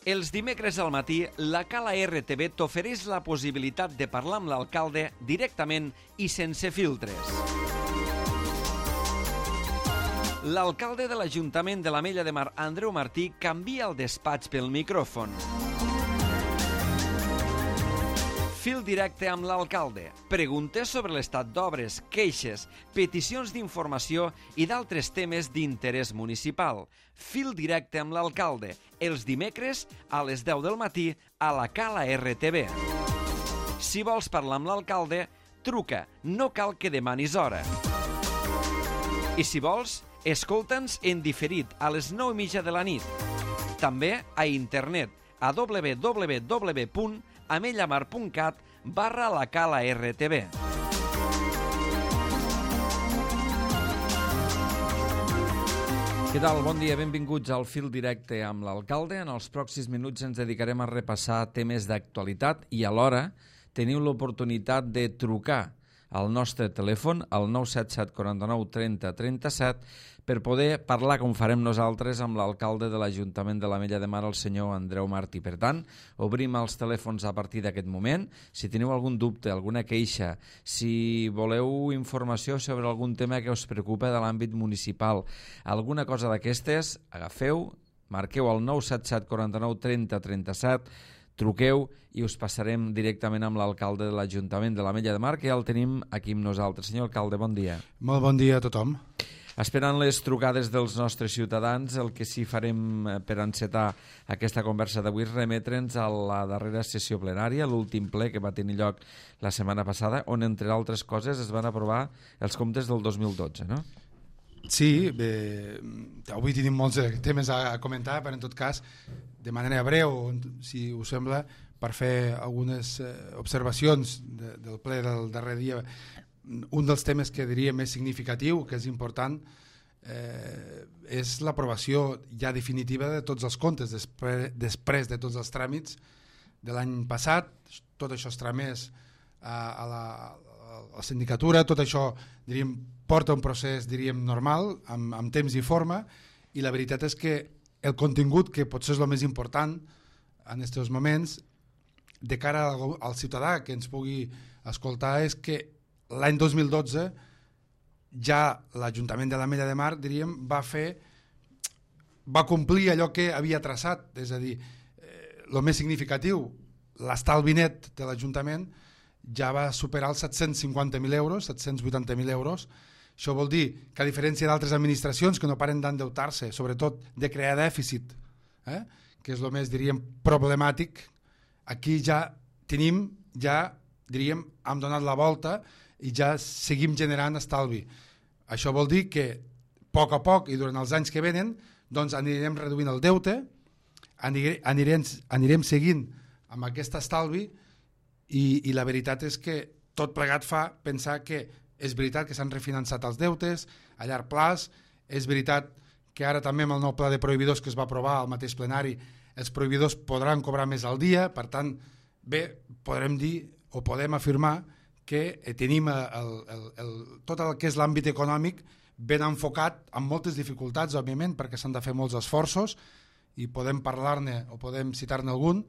Els dimecres al matí, la Cala RTV t'ofereix la possibilitat de parlar amb l'alcalde directament i sense filtres. L'alcalde de l'Ajuntament de l'Ametlla de Mar, Andreu Martí, canvia el despatx pel micròfon. Fil directe amb l'alcalde. Preguntes sobre l'estat d'obres, queixes, peticions d'informació i d'altres temes d'interès municipal. Fil directe amb l'alcalde. Els dimecres a les 10 del matí a la Cala RTV. Si vols parlar amb l'alcalde, truca. No cal que demanis hora. I si vols, escolta'ns en diferit a les 9:30 de la nit. També a internet a www.amellamar.cat/la Cala RTV. Què tal? Bon dia, benvinguts al Fil Directe amb l'alcalde. En els pròxims minuts ens dedicarem a repassar temes d'actualitat i alhora teniu l'oportunitat de trucar al nostre telèfon, al 977 49 30 37, per poder parlar, com farem nosaltres, amb l'alcalde de l'Ajuntament de l'Ametlla de Mar, el senyor Andreu Martí. Per tant, obrim els telèfons a partir d'aquest moment. Si teniu algun dubte, alguna queixa, si voleu informació sobre algun tema que us preocupa de l'àmbit municipal, alguna cosa d'aquestes, agafeu, marqueu el 977 49 30 37, truqueu i us passarem directament amb l'alcalde de l'Ajuntament de l'Ametlla de Mar, que ja el tenim aquí amb nosaltres. Senyor alcalde, bon dia. Molt bon dia a tothom. Esperant les trucades dels nostres ciutadans, el que sí farem per encetar aquesta conversa d'avui és remetre'ns a la darrera sessió plenària, l'últim ple que va tenir lloc la setmana passada, on, entre altres coses, es van aprovar els comptes del 2012, no? Sí, bé, avui tenim molts temes a comentar, però en tot cas, de manera breu, si us sembla, per fer algunes observacions del ple del darrer dia. Un dels temes que diria més significatiu, que és important, és l'aprovació ja definitiva de tots els comptes després de tots els tràmits de l'any passat. Tot això es tramès a la sindicatura, tot això, diríem, porta un procés, diríem, normal, amb temps i forma, i la veritat és que el contingut, que potser és el més important en aquests moments, de cara al ciutadà que ens pugui escoltar, és que l'any 2012 ja l'Ajuntament de l'Ametlla de Mar, diríem, va complir allò que havia traçat, és a dir, el més significatiu, l'estalvi net de l'Ajuntament ja va superar els 750.000 euros, 780.000 euros. Això vol dir que, a diferència d'altres administracions que no paren d'endeutar-se, sobretot de crear dèficit, que és el més, diríem, problemàtic, aquí ja tenim, diríem, hem donat la volta i ja seguim generant estalvi. Això vol dir que, a poc i durant els anys que venen, doncs anirem reduint el deute, anirem seguint amb aquest estalvi, i la veritat és que tot plegat fa pensar que és veritat que s'han refinançat els deutes a llarg plaç, és veritat que ara també amb el nou pla de prohibidors que es va aprovar al mateix plenari, els prohibidors podran cobrar més al dia. Per tant, bé, podrem dir o podem afirmar que tenim tot el que és l'àmbit econòmic ben enfocat, amb moltes dificultats, òbviament, perquè s'han de fer molts esforços i podem parlar-ne o podem citar-ne algun,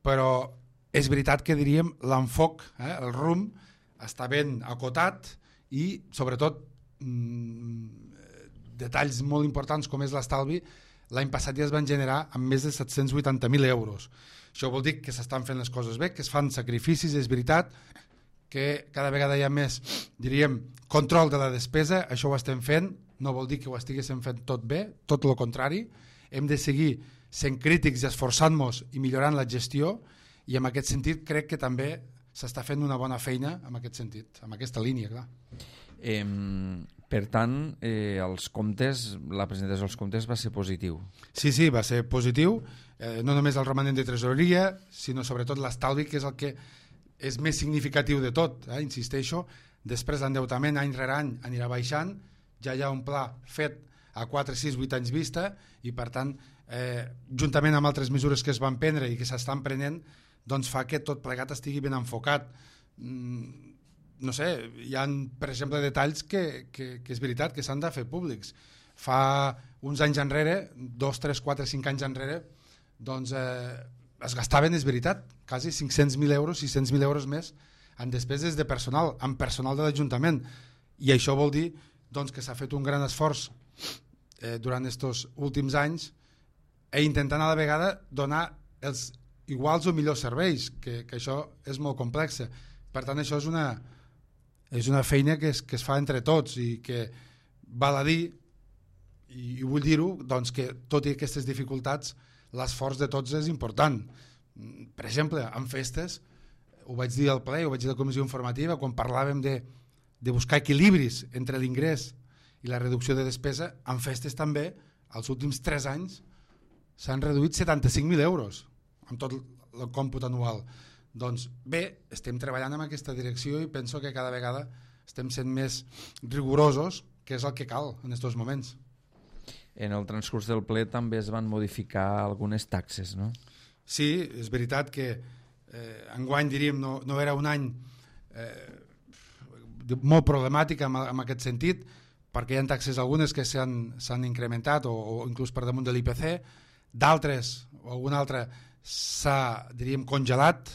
però és veritat que, diríem, l'enfoc, el rumb, està ben acotat i, sobretot, detalls molt importants com és l'estalvi, l'any passat ja es van generar amb més de 780.000 euros. Això vol dir que s'estan fent les coses bé, que es fan sacrificis, és veritat que cada vegada hi ha més, diríem, control de la despesa. Això ho estem fent, no vol dir que ho estiguéssim fent tot bé, tot el contrari. Hem de seguir sent crítics i esforçant-nos i millorant la gestió, i en aquest sentit crec que també s'està fent una bona feina en aquest sentit, en aquesta línia, clar. Per tant, els comptes, la presentació dels comptes va ser positiu. Sí, va ser positiu, no només el romanent de tresoreria, sinó sobretot l'estalvi, que és el que és més significatiu de tot, insisteixo. Després l'endeutament any rere any anirà baixant, ja hi ha un pla fet a 4, 6, 8 anys vista, i per tant, juntament amb altres mesures que es van prendre i que s'estan prenent, doncs fa que tot plegat estigui ben enfocat. No sé, hi ha, per exemple, detalls que és veritat que s'han de fer públics. Fa uns anys enrere, 2, 3, 4, 5 anys enrere, doncs es gastaven, és veritat, quasi 500.000 euros, 600.000 euros més en despeses de personal, en personal de l'Ajuntament, i això vol dir doncs, que s'ha fet un gran esforç durant aquests últims anys intentant a la vegada donar els iguals o millors serveis, que això és molt complex. Per tant, això és una feina que es fa entre tots i que val a dir, i vull dir-ho, doncs que tot i aquestes dificultats l'esforç de tots és important. Per exemple, en festes, ho vaig dir al ple, ho vaig dir a la comissió informativa, quan parlàvem de buscar equilibris entre l'ingrés i la reducció de despesa, en festes també, els últims 3 anys, s'han reduït 75.000 euros amb tot el còmput anual. Doncs bé, estem treballant en aquesta direcció i penso que cada vegada estem sent més rigorosos, que és el que cal en aquests moments. En el transcurs del ple també es van modificar algunes taxes, no? Sí, és veritat que enguany, diríem, no era un any molt problemàtic en aquest sentit, perquè hi ha taxes algunes que s'han incrementat o inclús per damunt de l'IPC, d'altres o alguna altra s'ha, diríem, congelat,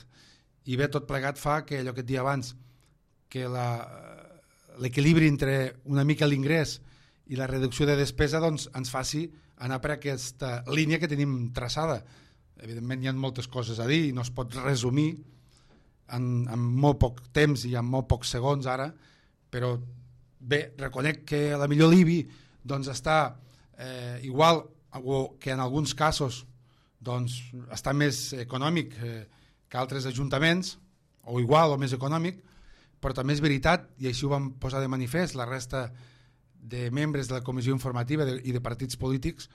i bé, tot plegat fa que allò que et dia abans, que l'equilibri entre una mica l'ingrés i la reducció de despesa doncs, ens faci anar per aquesta línia que tenim traçada. Evidentment hi ha moltes coses a dir i no es pot resumir en molt poc temps i en molt pocs segons ara, però bé, reconec que a la millor l'IBI doncs, està igual o que en alguns casos doncs, està més econòmic que altres ajuntaments, o igual o més econòmic, però també és veritat, i així ho vam posar de manifest la resta de membres de la comissió informativa i de partits polítics,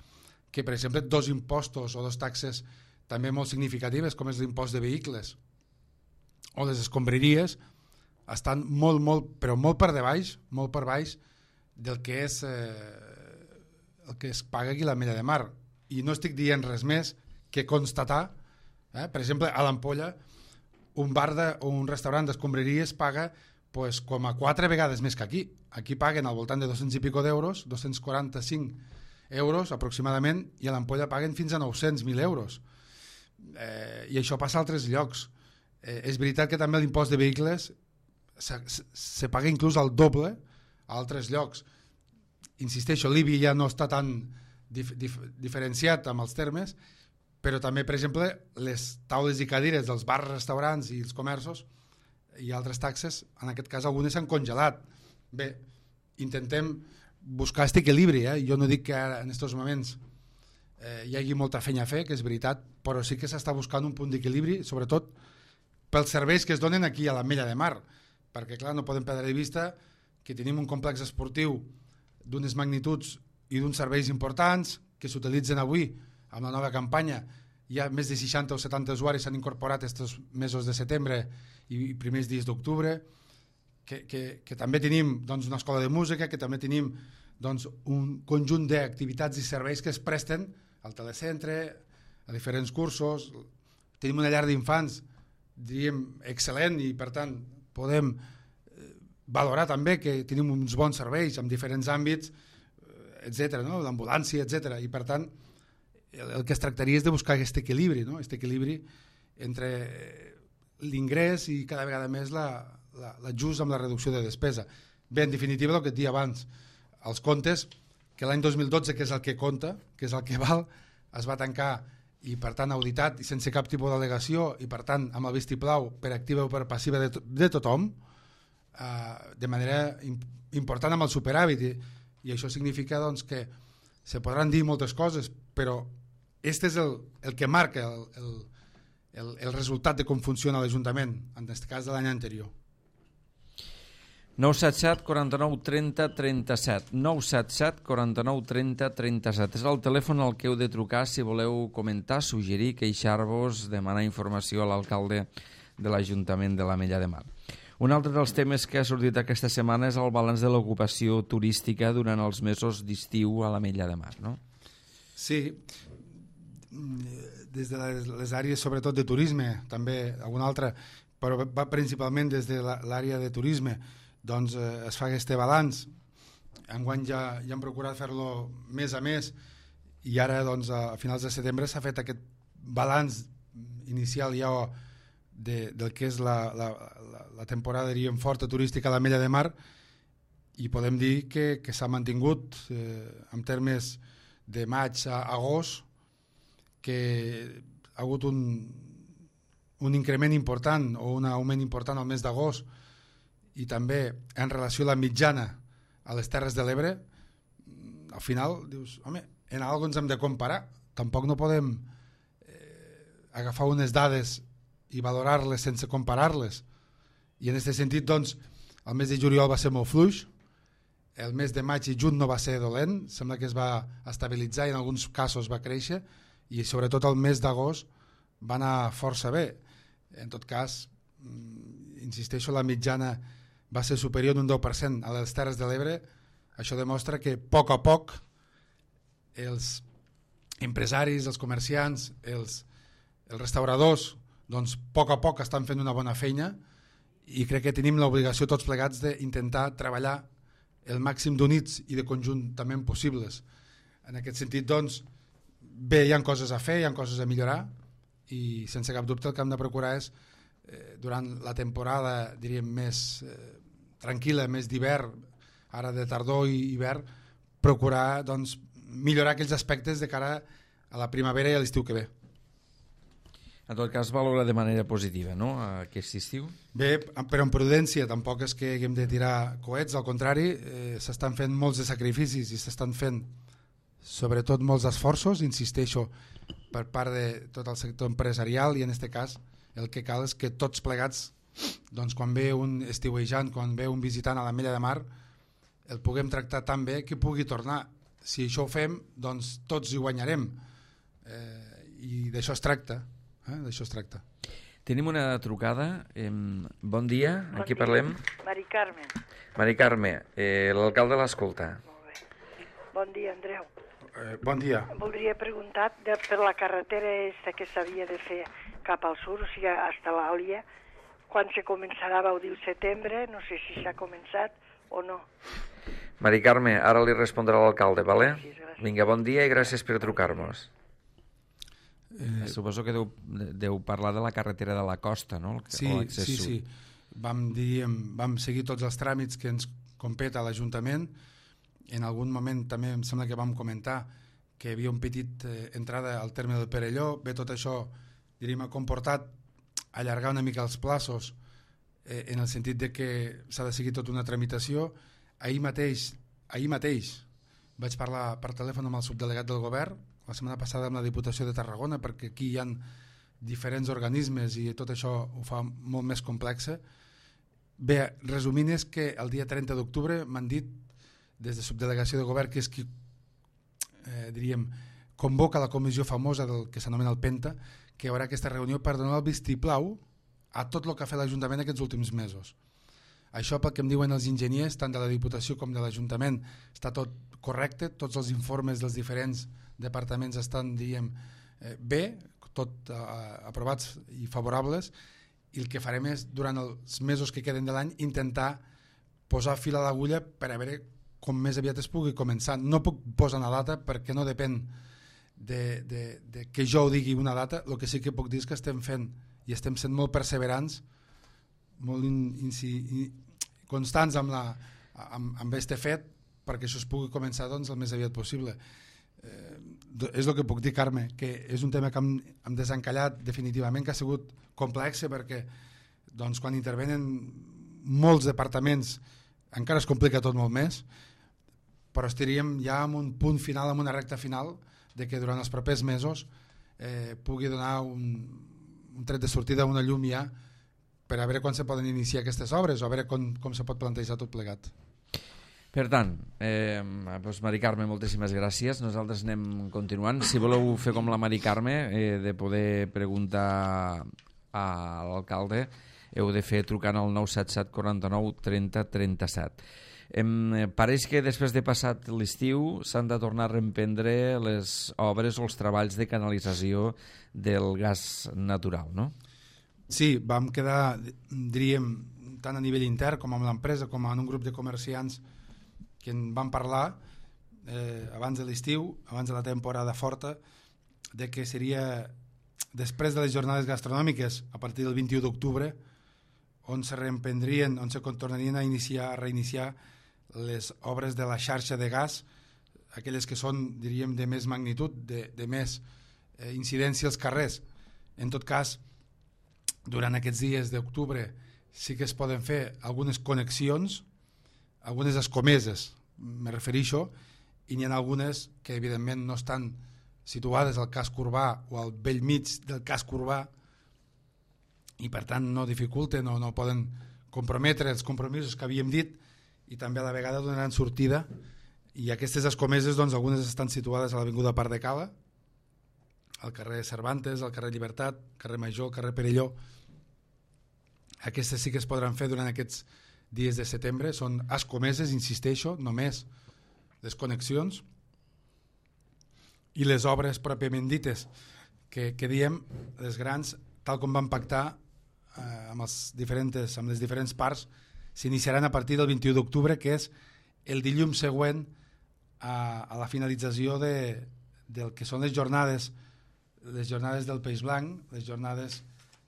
que per exemple 2 impostos o 2 taxes també molt significatives, com és l'impost de vehicles o les escombraries, estan però molt per baix del que és el que es paga aquí a l'Ametlla de Mar. I no estic dient res més que constatar, per exemple, a l'Ampolla un bar o un restaurant d'escombraries paga pues, com a 4 vegades més que aquí. Aquí paguen al voltant de 200 i pico d'euros, 245 euros aproximadament, i a l'Ampolla paguen fins a 900.000 euros. I això passa a altres llocs. És veritat que també l'impost de vehicles se paga inclús al doble a altres llocs. Insisteixo, l'IBI ja no està tan diferenciat amb els termes, però també, per exemple, les taules i cadires dels bars, restaurants i els comerços i altres taxes, en aquest cas algunes s'han congelat. Bé, intentem buscar aquest equilibri, jo no dic que ara, en aquests moments hi hagi molta feina a fer, que és veritat, però sí que s'està buscant un punt d'equilibri, sobretot pels serveis que es donen aquí a l'Ametlla de Mar, perquè clar, no podem perdre de vista que tenim un complex esportiu d'unes magnituds i d'uns serveis importants que s'utilitzen avui amb la nova campanya. Hi ha més de 60 o 70 usuaris s'han incorporat aquests mesos de setembre i primers dies d'octubre, que també tenim doncs, una escola de música, que també tenim doncs, un conjunt d'activitats i serveis que es presten al telecentre, a diferents cursos. Tenim una llar d'infants, diríem, excel·lent, i per tant podem valorar també que tenim uns bons serveis en diferents àmbits, etc., no? L'ambulància, etc. I per tant el que es tractaria és de buscar aquest equilibri, no? Aquest equilibri entre l'ingrés i cada vegada més l'ajust amb la reducció de despesa. Bé, en definitiva, el que et dia abans, els comptes, que l'any 2012, que és el que compta, que és el que val, es va tancar i per tant auditat i sense cap tipus d'al·legació i per tant amb el vistiplau per activa o per passiva de tothom, de manera important amb el superàvit, i això significa doncs, que se podran dir moltes coses, però aquest és el que marca el resultat de com funciona l'Ajuntament, en aquest cas de l'any anterior. 977 49 30 37 977 49 30 37 és el telèfon al que heu de trucar si voleu comentar, suggerir, queixar-vos, demanar informació a l'alcalde de l'Ajuntament de l'Ametlla de Mar. Un altre dels temes que ha sortit aquesta setmana és el balanç de l'ocupació turística durant els mesos d'estiu a l'Ametlla de Mar, no? Sí, des de les àrees sobretot de turisme, també alguna altra, però va principalment des de l'àrea de turisme, doncs es fa aquest balanç. Enguany ja hem procurat fer-lo mes a mes, i ara doncs, a finals de setembre s'ha fet aquest balanç inicial ja del que és la temporada, diríem, forta turística a l'Ametlla de Mar, i podem dir que s'ha mantingut en termes de maig a agost, que ha hagut un increment important o un augment important al mes d'agost, i també en relació a la mitjana a les Terres de l'Ebre. Al final dius, home, en alguna cosa ens hem de comparar, tampoc no podem agafar unes dades i valorar-les sense comparar-les, i en aquest sentit doncs el mes de juliol va ser molt fluix, el mes de maig i juny no va ser dolent, sembla que es va estabilitzar i en alguns casos va créixer, i sobretot el mes d'agost va anar força bé. En tot cas, insisteixo, la mitjana va ser superior un 10% a les Terres de l'Ebre. Això demostra que a poc els empresaris, els comerciants, els restauradors, doncs a poc estan fent una bona feina, i crec que tenim l'obligació tots plegats d'intentar treballar el màxim d'units i de conjuntament possibles. En aquest sentit, doncs, bé, hi ha coses a fer, hi ha coses a millorar, i sense cap dubte el que hem de procurar és, durant la temporada, diríem, més tranquil·la, més d'hivern, ara de tardor i hivern, procurar doncs, millorar aquells aspectes de cara a la primavera i a l'estiu que ve. En tot cas, valora de manera positiva, no?, aquest estiu? Bé, però en prudència, tampoc és que haguem de tirar coets, al contrari, s'estan fent molts de sacrificis i s'estan fent sobretot molts esforços, insisteixo, per part de tot el sector empresarial, i en aquest cas el que cal és que tots plegats, doncs, quan ve un estiuejant, quan ve un visitant a l'Ametlla de Mar, el puguem tractar tan bé que pugui tornar. Si això ho fem, doncs tots hi guanyarem, i d'això es tracta. D'això es tracta. Tenim una trucada. Bon dia, amb qui parlem? Mari Carme. Mari Carme, l'alcalde l'escolta. Molt bé. Bon dia, Andreu. Bon dia. Voldria preguntar per la carretera que s'havia de fer cap al sud, o sigui, hasta l'Àlia, quan se començarà, vau dir setembre, no sé si s'ha començat o no. Mari Carme, ara li respondrà l'alcalde, vale? Gràcies. Vinga, bon dia i gràcies per trucar-nos. Suposo que deu parlar de la carretera de la costa, no? Sí. Vam seguir tots els tràmits que ens competa a l'Ajuntament. En algun moment també em sembla que vam comentar que hi havia un petit entrada al terme del Perelló. Bé, tot això, diríem, ha comportat allargar una mica els plaços, en el sentit de que s'ha de seguir tota una tramitació. Ahir mateix vaig parlar per telèfon amb el subdelegat del govern, la setmana passada amb la Diputació de Tarragona, perquè aquí hi ha diferents organismes i tot això ho fa molt més complexa. Bé, resumint, és que el dia 30 d'octubre m'han dit des de subdelegació de govern, que és qui diríem, convoca la comissió famosa del que s'anomena el PENTA, que hi haurà aquesta reunió per donar el vistiplau a tot el que ha fet l'Ajuntament aquests últims mesos. Això, pel que em diuen els enginyers, tant de la Diputació com de l'Ajuntament, està tot correcte, tots els informes dels diferents departaments estan, diríem, bé, tot aprovats i favorables, i el que farem és, durant els mesos que queden de l'any, intentar posar fil a l'agulla per a veure com més aviat es pugui començar. No puc posar una data perquè no depèn de que jo ho digui una data. El que sí que puc dir és que estem fent i estem sent molt perseverants, molt constants amb aquest fet, perquè això es pugui començar doncs, el més aviat possible. És el que puc dir, Carme, que és un tema que hem desencallat definitivament, que ha sigut complex, perquè doncs, quan intervenen molts departaments encara es complica tot molt més, però estaríem ja en un punt final, en una recta final, de que durant els propers mesos pugui donar un tret de sortida, una llum ja, per a veure quan se poden iniciar aquestes obres o a veure com se pot plantejar tot plegat. Per tant, doncs Mari Carme, moltíssimes gràcies. Nosaltres anem continuant. Si voleu fer com la Mari Carme, de poder preguntar a l'alcalde, heu de fer trucant al 977 49 30 37. Pareix que després de passat l'estiu s'han de tornar a reemprendre les obres o els treballs de canalització del gas natural, no? Sí, vam quedar, diríem, tant a nivell intern com amb l'empresa com en un grup de comerciants que en van parlar abans de l'estiu, abans de la temporada forta, de que seria després de les jornades gastronòmiques, a partir del 21 d'octubre, on se reemprendrien, on se tornarien a reiniciar les obres de la xarxa de gas, aquelles que són, diríem, de més magnitud, de més incidència als carrers. En tot cas, durant aquests dies d'octubre sí que es poden fer algunes connexions, algunes escomeses, me refereixo, i n'hi ha algunes que evidentment no estan situades al casc urbà o al vell mig del casc urbà i per tant no dificulten o no poden comprometre els compromisos que havíem dit i també a la vegada donaran sortida. I aquestes escomeses, doncs, algunes estan situades a l'avinguda Parc de Cala, al carrer Cervantes, al carrer Llibertat, carrer Major, carrer Perelló. Aquestes sí que es podran fer durant aquests dies de setembre. Són escomeses, insisteixo, només les connexions i les obres pròpiament dites que diem, les grans, tal com van pactar amb les diferents parts, s'iniciaran a partir del 21 d'octubre, que és el dilluns següent a la finalització del que són les jornades del Peix Blanc, les jornades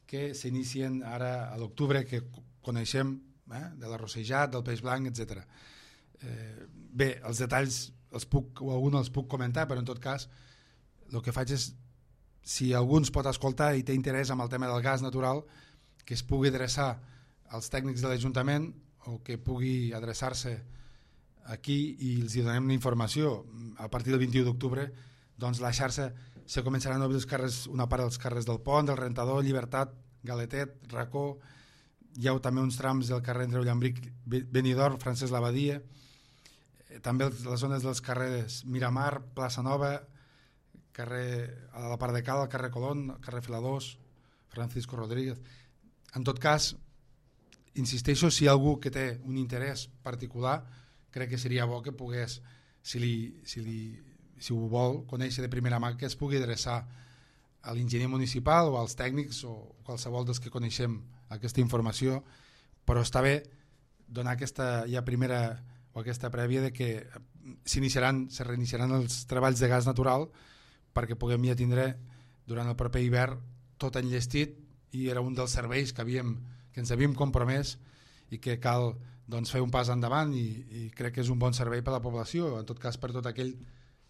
que s'inicien ara a l'octubre, que coneixem, de l'arrossejat, del Peix Blanc, etc. Bé, els detalls alguns els puc comentar, però en tot cas el que faig és, si algú ens pot escoltar i té interès en el tema del gas natural, que es pugui adreçar als tècnics de l'Ajuntament o que pugui adreçar-se aquí i els donem una informació. A partir del 21 d'octubre, doncs la xarxa se començaran a obrir els carrers, una part dels carrers del Pont, del Rentador, Llibertat, Galetet, Racó, hi ha també uns trams del carrer Andreu Llambric, Benidorm, Francesc Labadia, també les zones dels carrers Miramar, Plaça Nova, carrer a la Part de Cala, carrer Colón, carrer Filadors, Francisco Rodríguez. En tot cas, insisteixo, si hi ha algú que té un interès particular, crec que seria bo que pogués, si ho vol conèixer de primera mà, que es pugui adreçar a l'enginyer municipal o als tècnics o qualsevol dels que coneixem aquesta informació, però està bé donar aquesta ja primera o aquesta prèvia de que se reiniciaran els treballs de gas natural perquè puguem ja tindre durant el proper hivern tot enllestit, i era un dels serveis que ens havíem compromès i que cal doncs, fer un pas endavant, i crec que és un bon servei per a la població, en tot cas per tot aquell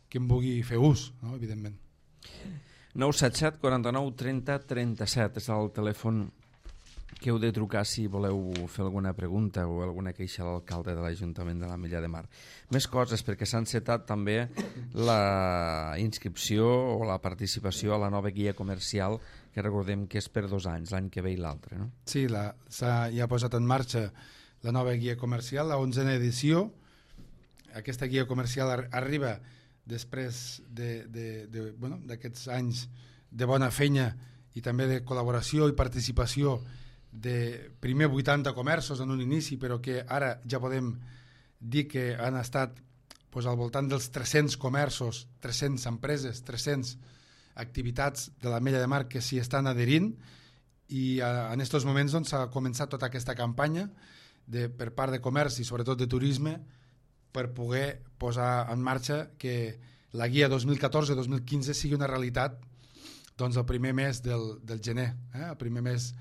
que en vulgui fer ús, no? Evidentment. 977 49 30 37 és el telèfon que heu de trucar si voleu fer alguna pregunta o alguna queixa a l'alcalde de l'Ajuntament de l'Ametlla de Mar. Més coses, perquè s'ha encetat també la inscripció o la participació a la nova guia comercial, que recordem que és per 2 anys, l'any que ve i l'altre, no? Sí, ja ha posat en marxa la nova guia comercial, la 11a edició. Aquesta guia comercial arriba després d'aquests anys de bona feina i també de col·laboració i participació de primer 80 comerços en un inici, però que ara ja podem dir que han estat al voltant dels 300 comerços, 300 empreses, 300 activitats de l'Ametlla de Mar que s'hi estan adherint, i en aquests moments s'ha començat tota aquesta campanya per part de comerç i sobretot de turisme per poder posar en marxa que la guia 2014-2015 sigui una realitat el primer mes del gener, el primer mes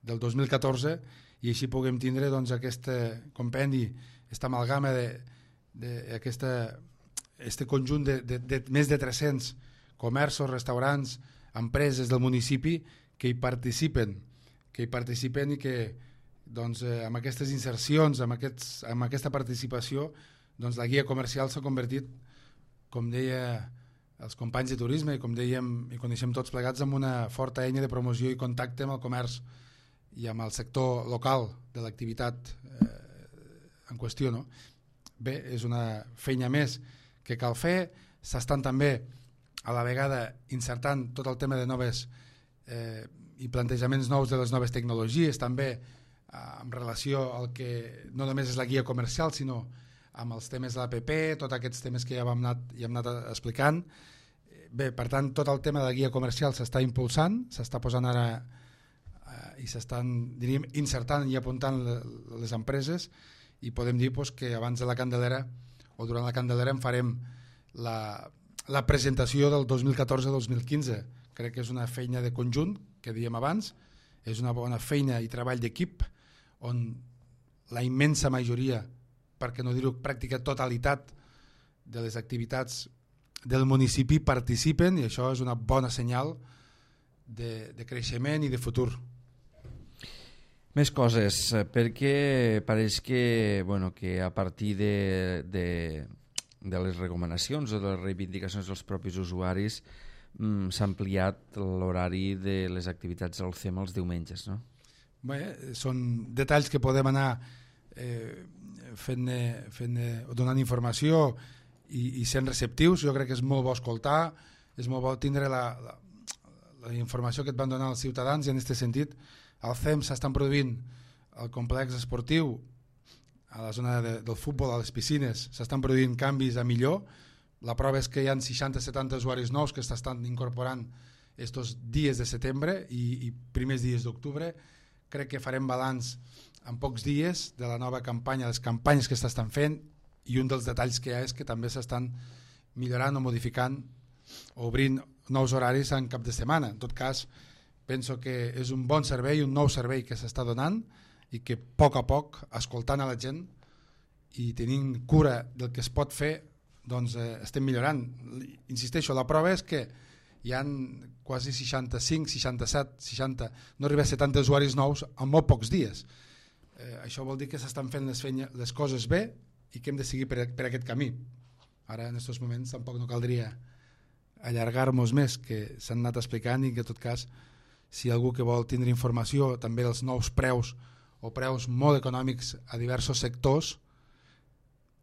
del 2014, i així puguem tindre aquest compendi, aquesta amalgama d'aquest conjunt de més de 300 comerços, restaurants, empreses del municipi que hi participen i que amb aquestes insercions, amb aquesta participació, la guia comercial s'ha convertit, com deia els companys de turisme i com dèiem i coneixem tots plegats, en una forta eina de promoció i contacte amb el comerç i amb el sector local de l'activitat en qüestió, no? Bé, és una feina més que cal fer. S'estan també a la vegada insertant tot el tema de noves i plantejaments nous de les noves tecnologies, també en relació al que no només és la guia comercial, sinó amb els temes de l'APP, tots aquests temes que ja hem anat explicant. Bé, per tant, tot el tema de la guia comercial s'està impulsant, s'està posant ara i s'estan, diríem, insertant i apuntant les empreses, i podem dir que abans de la Candelera o durant la Candelera en farem la presentació del 2014-2015, crec que és una feina de conjunt, que dèiem abans, és una bona feina i treball d'equip, on la immensa majoria, perquè no dir-ho pràctica totalitat de les activitats del municipi participen, i això és una bona senyal de creixement i de futur. Més coses, perquè pareix que, que a partir de les recomanacions o de les reivindicacions dels propis usuaris s'ha ampliat l'horari de les activitats al CEM els diumenges, no? Bé, són detalls que podem anar donant informació i sent receptius. Jo crec que és molt bo escoltar, és molt bo tindre la informació que et van donar els ciutadans, i en aquest sentit al CEM s'estan produint al complex esportiu, a la zona del futbol, a les piscines, s'estan produint canvis a millor. La prova és que hi ha 60-70 usuaris nous que s'estan incorporant estos dies de setembre i primers dies d'octubre. Crec que farem balanç en pocs dies de la nova campanya, les campanyes que s'estan fent, i un dels detalls que hi ha és que també s'estan millorant o modificant o obrint nous horaris en cap de setmana. En tot cas, penso que és un bon servei, un nou servei que s'està donant, i que a poc, escoltant a la gent i tenint cura del que es pot fer, doncs estem millorant. Insisteixo, la prova és que hi ha quasi 65, 67, 60, no arriba a 70 usuaris nous en molt pocs dies. Això vol dir que s'estan fent les coses bé i que hem de seguir per aquest camí. Ara, en aquests moments, tampoc no caldria allargar-nos més, que s'han anat explicant, i que en tot cas, si algú que vol tindre informació també dels nous preus o preus molt econòmics a diversos sectors,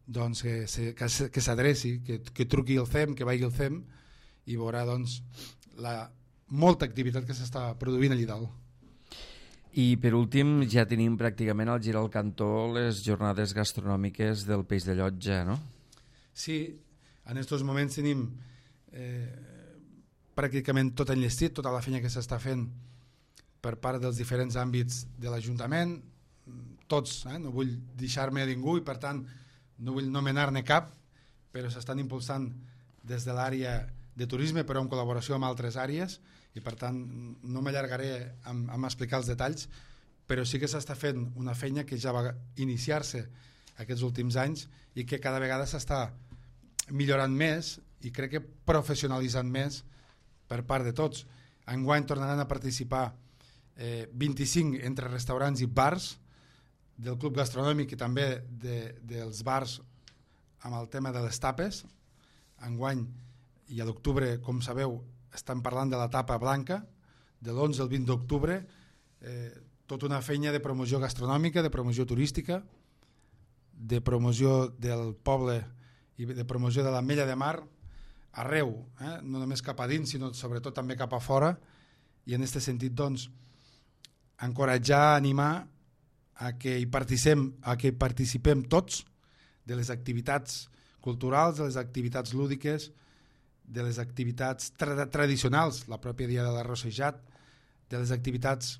doncs que s'adreci, que truqui al CEM, que vagi al CEM, i veurà doncs la molta activitat que s'està produint allà dalt. I per últim ja tenim pràcticament al gir al cantó les jornades gastronòmiques del Peix de Llotja, no? Sí, en aquests moments tenim pràcticament tot enllestit, tota la feina que s'està fent per part dels diferents àmbits de l'Ajuntament, tots, no vull deixar-me a ningú i per tant no vull nomenar-ne cap, però s'estan impulsant des de l'àrea de turisme, però en col·laboració amb altres àrees, i per tant no m'allargaré amb explicar els detalls, però sí que s'està fent una feina que ja va iniciar-se aquests últims anys i que cada vegada s'està millorant més i crec que professionalitzant més per part de tots. Enguany tornaran a participar 25 entre restaurants i bars del club gastronòmic i també dels bars amb el tema de les tapes. Enguany i a l'octubre, com sabeu, estan parlant de la tapa blanca, de l'11 al 20 d'octubre, tota una feina de promoció gastronòmica, de promoció turística, de promoció del poble i de promoció de l'Ametlla de Mar arreu, no només cap a dins, sinó sobretot també cap a fora, i en aquest sentit doncs encoratjar, animar a que hi participem tots de les activitats culturals, de les activitats lúdiques, de les activitats tradicionals, la pròpia dia de l'arrossejat, de les activitats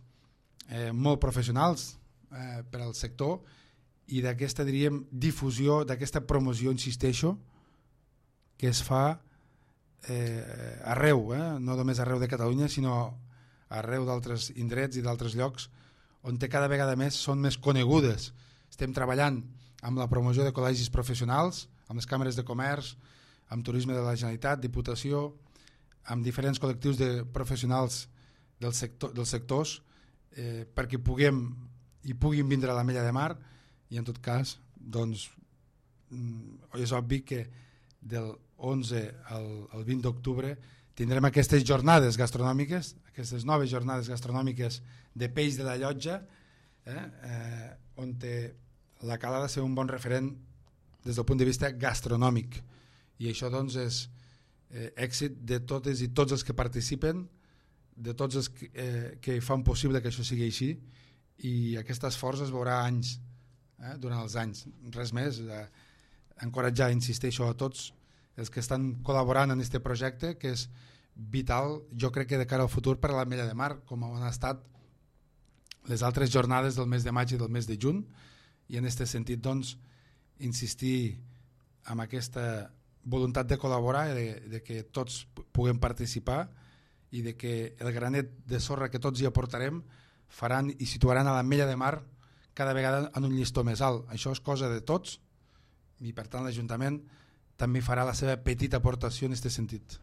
molt professionals per al sector, i d'aquesta, diríem, difusió, d'aquesta promoció, insisteixo, que es fa arreu, no només arreu de Catalunya, sinó arreu d'altres indrets i d'altres llocs on cada vegada més són més conegudes. Estem treballant amb la promoció de col·legis professionals, amb les càmeres de comerç, amb turisme de la Generalitat, Diputació, amb diferents col·lectius de professionals dels sectors, perquè puguin vindre a l'Ametlla de Mar, i en tot cas doncs, és obvi que del 11 al 20 d'octubre tindrem aquestes jornades gastronòmiques, aquestes noves jornades gastronòmiques de Peix de la Llotja, on la Cala ha de ser un bon referent des del punt de vista gastronòmic, i això doncs és èxit de totes i tots els que participen, de tots els que fan possible que això sigui així, i aquest esforç es veurà anys, durant els anys, res més, encoratjar, insisteixo, a tots els que estan col·laborant en aquest projecte, que és vital, jo crec que de cara al futur per a l'Ametlla de Mar, com han estat les altres jornades del mes de maig i del mes de juny, i en aquest sentit doncs insistir en aquesta voluntat de col·laborar, de que tots puguem participar i de que el granet de sorra que tots hi aportarem faran i situaran a l'Ametlla de Mar cada vegada en un llistó més alt. Això és cosa de tots i per tant l'Ajuntament també farà la seva petita aportació en aquest sentit.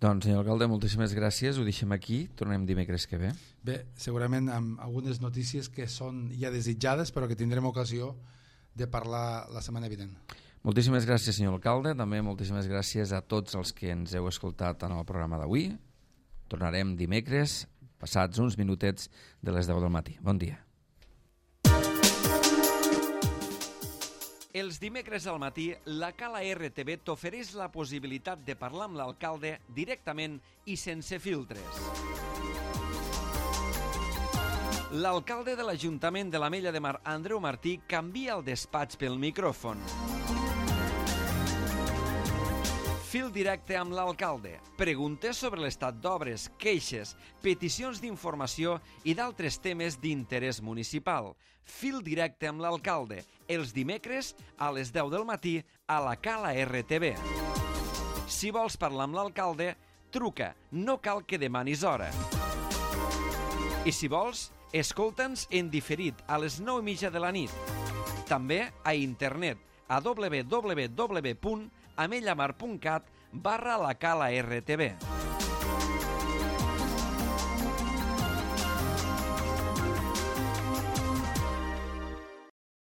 Doncs, senyor alcalde, moltíssimes gràcies. Ho deixem aquí. Tornem dimecres que ve. Bé, segurament amb algunes notícies que són ja desitjades, però que tindrem ocasió de parlar la setmana vinent. Moltíssimes gràcies, senyor alcalde. També moltíssimes gràcies a tots els que ens heu escoltat en el programa d'avui. Tornarem dimecres, passats uns minutets de les 10 del matí. Bon dia. Els dimecres al matí, la Cala RTV t'ofereix la possibilitat de parlar amb l'alcalde directament i sense filtres. L'alcalde de l'Ajuntament de l'Ametlla de Mar, Andreu Martí, canvia el despatx pel micròfon. Fil directe amb l'alcalde. Preguntes sobre l'estat d'obres, queixes, peticions d'informació i d'altres temes d'interès municipal. Fil directe amb l'alcalde. Els dimecres a les 10 del matí a la Cala RTV. Si vols parlar amb l'alcalde, truca. No cal que demanis hora. I si vols, escolta'ns en diferit a les 9:30 de la nit. També a internet a www.amellamar.cat/la Cala RTV.